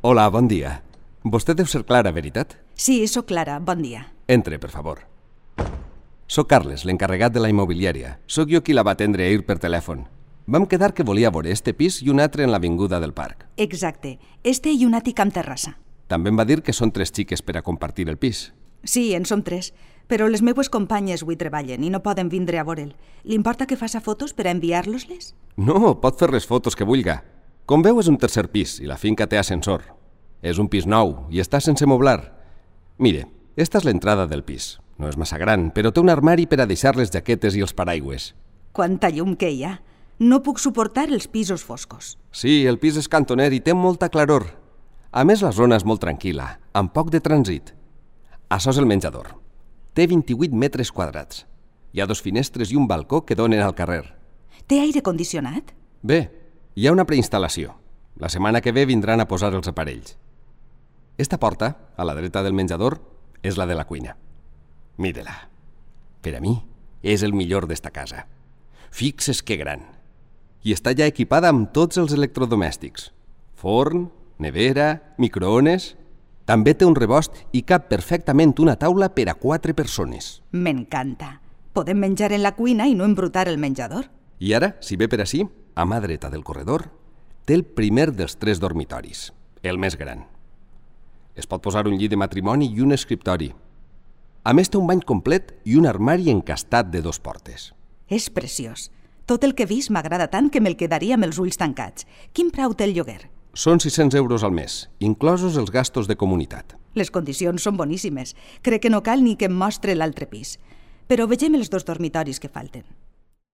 Hola, bon dia. Vostè deu ser Clara, veritat? Sí, sóc Clara, bon dia. Entre, per favor. Soc Carles, l'encarregat de la immobiliària. Soc jo qui la va atendre ahir per telèfon. Vam quedar que volia veure este pis i un altre en l'avinguda del parc. Exacte, este i un àtic amb terrassa. També em va dir que són 3 xiques per a compartir el pis. Sí, en som 3, però les meues companyes avui treballen i no poden vindre a veure'l. Li importa que faça fotos per a enviar-los-les? No, pot fer les fotos que vulga. Com veu, és un tercer pis i la finca té ascensor. És un pis nou i està sense moblar. Mire, esta és l'entrada del pis. No és massa gran, però té un armari per a deixar les jaquetes i els paraigües. Quanta llum que hi ha. No puc suportar els pisos foscos. Sí, el pis és cantoner i té molta claror. A més, la zona és molt tranquil·la, amb poc de trànsit. Això és el menjador. Té 28 metres quadrats. Hi ha 2 finestres i un balcó que donen al carrer. Té aire condicionat? Bé, hi ha una preinstal·lació. La setmana que ve vindran a posar els aparells. Esta porta, a la dreta del menjador, és la de la cuina. Mire-la. Per a mi, és el millor d'esta casa. Fixes que gran. I està ja equipada amb tots els electrodomèstics. Forn, nevera, microones. També té un rebost i cap perfectament una taula per a 4 persones. M'encanta. Podem menjar en la cuina i no embrutar el menjador. I ara, si ve per ací, a mà dreta del corredor, té el primer dels 3 dormitoris, el més gran. Es pot posar un llit de matrimoni i un escriptori. A més, té un bany complet i un armari encastat de 2 portes. És preciós. Tot el que he vist m'agrada tant que me'l quedaria amb els ulls tancats. Quin preu té el lloguer? Són 600 euros al mes, inclosos els gastos de comunitat. Les condicions són boníssimes. Crec que no cal ni que em mostre l'altre pis. Però vegem els 2 dormitoris que falten.